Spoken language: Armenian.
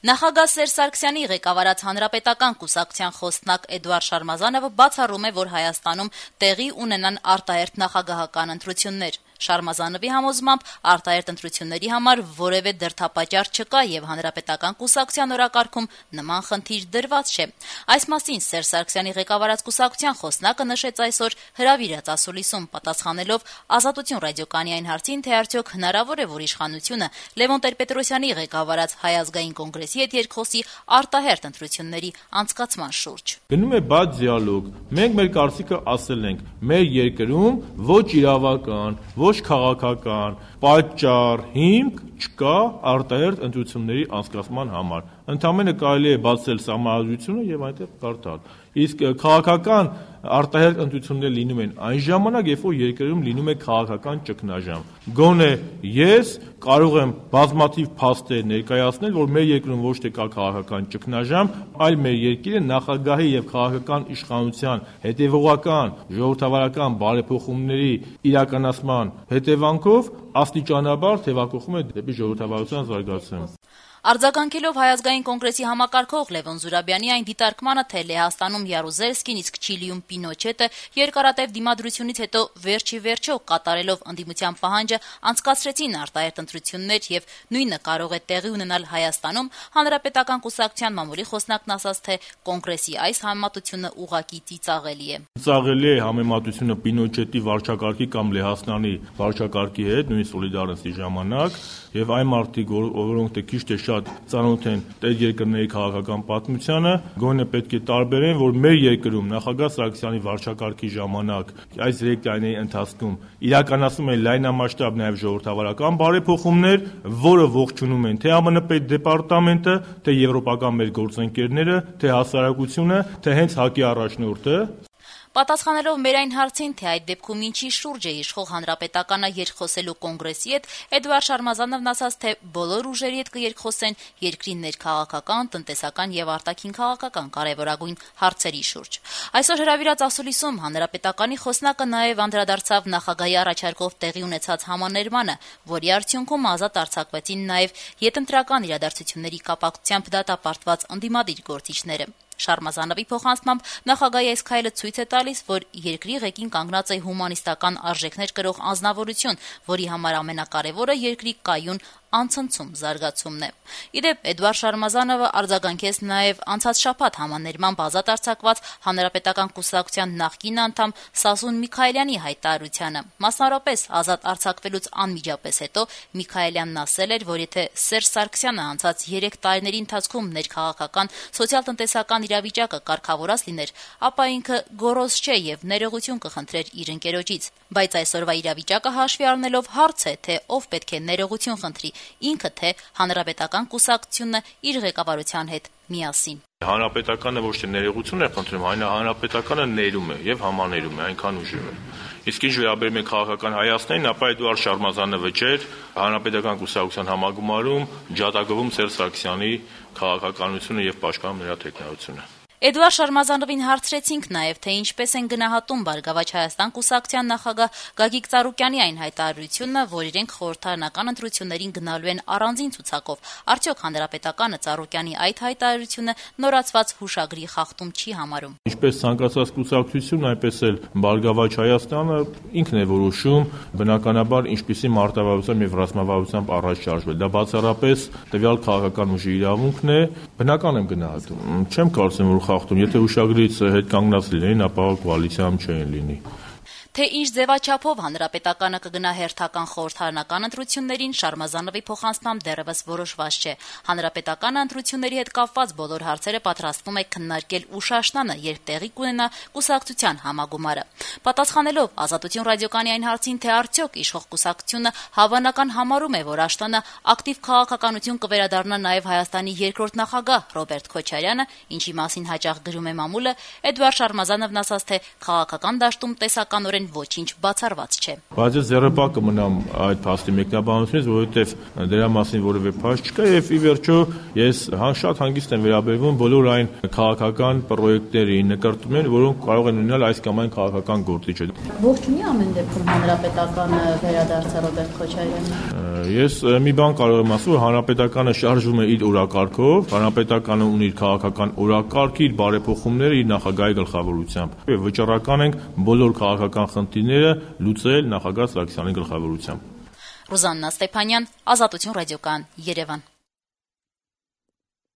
Նախագահ Սերժ Սարգսյանի ղեկավարած Հանրապետական կուսակցության խոսնակ Էդուարդ Շարմազանովը բացառում է, որ Հայաստանում տեղի ունենան արտահերթ նախագահական ընտրություններ։ Շարմազանովի համոզմամբ արտահերթ ընտրությունների համար որևէ դրդապատճառ չկա եւ Հանրապետական կուսակցության օրակարգում նման խնդիր դրված չէ։ Այս մասին Սերժ Սարգսյանի ղեկավարած կուսակցության խոսնակը նշեց այսօր հրավիրած ասուլիսում, պատասխանելով Ազատություն ռադիոկայանի հարցին, թե արդյոք հնարավոր է, որ իշխանությունը Լևոն Տեր-Պետրոսյանի ղեկավարած Հայ ազգային կոնգրեսի հետ երկխոսի արտահերթ ընտրությունների անցկացման շուրջ։ Գնում է բաց դիալոգ։ Մենք մեր կարծիքը ասել ենք, մեր երկրում ոչ իրավական, ոչ քաղաքական պատճառ, հիմք չկա արտահերթ ընտրությունների անցկացման համար։ Ընդամենը կարելի է բացել սահմանադրությունը եւ այնտեղ կարդալ։ Իսկ քաղաքական արտահերթ ընտրություններ լինում են այն ժամանակ, երբ որ երկրում լինում է քաղաքական ճգնաժամ։ Գոնե ես կարող եմ բազմաթիվ փաստեր ներկայացնել, որ մեր երկրում ոչ թե կա քաղաքական ճգնաժամ, այլ մեր երկիրը նախագահի եւ քաղաքական իշխանության հետեւողական ժողովրդավարական բարեփոխումների իրականացման հետևանքով աստիճանաբար թեւակոխում է դեպի ժողովրդավարության զարգացում։ Արձագանքելով Հայ ազգային կոնգրեսի համակարգող Լևոն Զուրաբյանի այն դիտարկմանը, թե Լեհաստանում Յարուզելսկին, իսկ Չիլիում Պինոչետը երկարատև դիմադրությունից հետո վերջիվերջո կատարելով ընդդիմության պահանջը անցկացրեցին արտահերթ ընտրություններ եւ նույնը կարող է տեղի ունենալ Հայաստանում, Հանրապետական կուսակցության մամուլի խոսնակն ասաց, թե կոնգրեսի այս համեմատությունը ուղղակի ծիծաղելի է։ Ծիծաղելի է համեմատությունը Պինոչետի վարչակարգի կամ Լեհաստանի վարչակարգի հետ, նույն Սոլիդարնսի ժամանակ, եւ այն մարդիկ, որոնք թե քիչ թե շատ ծանոթ են տեր երկրների քաղաքական պատմությանը, գոնե պետք է տարբերեն, որ մեր երկրում նախագահ Սարգսյանի վարչակարգի ժամանակ այս 3 տարիների ընթացքում իրականացում են լայնամասշտաբ նաեւ ժողովրդավարական բարեփոխումներ, որը ողջունում են թե ԱՄՆ պետդեպարտամենտը, թե եվրոպական մեր գործընկերները, թե հասարակությունը, թե հենց ՀԱԿ-ի առաջնորդը։ Պատասխանելով մեր այն հարցին, թե այդ դեպքում ինչի շուրջ է իշխող Հանրապետականը երկխոսելու կոնգրեսի հետ, Էդուարդ Շարմազանովն ասաց, թե բոլոր ուժերի հետ կերկխոսեն երկրի ներքաղաքական, տնտեսական եւ արտաքին քաղաքական կարեւորագույն հարցերի շուրջ։ Այսօր հրավիրած ասուլիսում Հանրապետականի խոսնակը նաեւ անդրադարձավ նախագահի առաջարկով տեղի ունեցած համաներմանը, որի արդյունքում ազատ արձակվեցին նաեւ յետընտրական իրադարձությունների կապակցությամբ դատապարտված ընդդիմադիր գործիչները։ Շարմազանովի փոխանցմամբ նախագահի այս քայլը ցույց է տալիս, որ երկրի ղեկին կանգնած է հումանիստական արժեքներ կրող անձնավորություն, որի համար ամենակարևորը երկրի կայուն անցնցում զարգացումն է։ Իդեպ Էդուարդ Շարմազանովը արձագանքեց նաև անցած շաբաթ համաներմամբ ազատ արձակված Հանրապետական կուսակցության նախկին անդամ Սասուն Միքայելյանի հայտարարությանը։ Մասնավորապես ազատ արձակվելուց անմիջապես հետո Միքայելյանն ասել էր, որ եթե Սերժ Սարգսյանը անցած 3 տարիների ընթացքում ներքաղաքական սոցիալ-տնտեսական իրավիճակը կարգավորած լիներ, ապա ինքը գոռոզ չէ եւ ներողություն կխնդրեր իր ընկերոջից։ Բայց այսօրվա իրավիճակը հաշվի առնելով հարց է, թե ով պետք է ներողություն խնդրի, ինքը թե Հանրապետական կուսակցությունը իր ղեկավարության հետ միասին։ Հանրապետականը ոչ թե ներողություն է խնդրում, այլ Հանրապետականը ներում է եւ համաներում է, այնքան ուժեղ է։ Իսկ ինչ վերաբերում է քաղաքական հայացքներին, ապա Էդուարդ Շարմազանովը չէր Հանրապետական կուսակցության համագումարում ջատագովում Սերժ Սարգսյանի քաղաքականությունը եւ պաշտպանում նրա տեխնայությունը։ Էդուարդ Շարմազանովին հարցրեցինք նաև, թե ինչպես են գնահատում Բարգավաճ Հայաստան կուսակցության նախագահ Գագիկ Ծառուկյանի այն հայտարարությունը, որ իրենք խորհրդարանական ընտրություններին գնալու են առանձին ցուցակով։ Արդյոք Հանրապետականը Ծառուկյանի այդ հայտարարությունը նորացված հուշագրի խախտում չի համարում։ Ինչպես ցանկացած կուսակցություն, այնպես էլ Բարգավաճ Հայաստանը ինքն է որոշում բնականաբար ինչպիսի մարտավարությամբ եւ ռազմավարությամբ առաջ շարժվել։ Դա բացառապես տվյալ քաղաքական ուժի իրավունքն է, բնական եմ գնահատում։ Չեմ կարծում, որ խախտում, եթե հուշագրից հետ կանգնած լինեին, ապա կոալիցիայում չէին լինի։ Թե ինչ ձևաչափով Հանրապետականը կգնա հերթական խորհրդարանական ընտրություններին, Շարմազանովի փոխանցմամբ դեռևս որոշված չէ։ Հանրապետականը ընտրությունների հետ կապված բոլոր հարցերը պատրաստվում է քննարկել ուշաշնանը, երբ տեղի կունենա կուսակցության համագումարը։ Պատասխանելով Ազատություն ռադիոկայանի այն հարցին, թե արդյոք իշխող կուսակցությունը հավանական համարում է, որ Աշտանը ակտիվ քաղաքականություն կվերադառնա նաև Հայաստանի երկրորդ նախագահ Ռոբերտ Քոչարյանը, ինչի մասին հաճախ գրում է մամուլը, Էդուարդ Շարմազանովն ասաց, թե քաղաքական դաշտում տեսականորեն փաստորեն ոչինչ բացառված չէ։ Բայց ես ձեռնպահ կմնամ այդ փաստի մեկնաբանությունից, որովհետև դրա մասին որևէ փաստ չկա եւ ի վերջո ես շատ հանգիստ եմ վերաբերվում բոլոր այն քաղաքական պրոյեկտներին, նկարտումներին, որոնք կարող են ունենալ այս կամ այն քաղաքական գործիչը։ Ողջունի ամեն դեպքում հանրապետականը վերադարձա Ռոբերտ Քոչարյանը։ Ես մի բան կարող եմ ասել, որ հանրապետականը շարժվում է իր օրակարգով, հանրապետականը ունի իր քաղաքական օրակարգը, իր բարեփոխումները իր նախագահի գլխավորությամբ։ Եվ վճռական ենք բոլոր քաղաքական խնդիրները լուծել նախագահ Սարգսյանի գլխավորությամբ։ Ռուզաննա Ստեփանյան, Ազատություն ռադիոկայան, Երևան։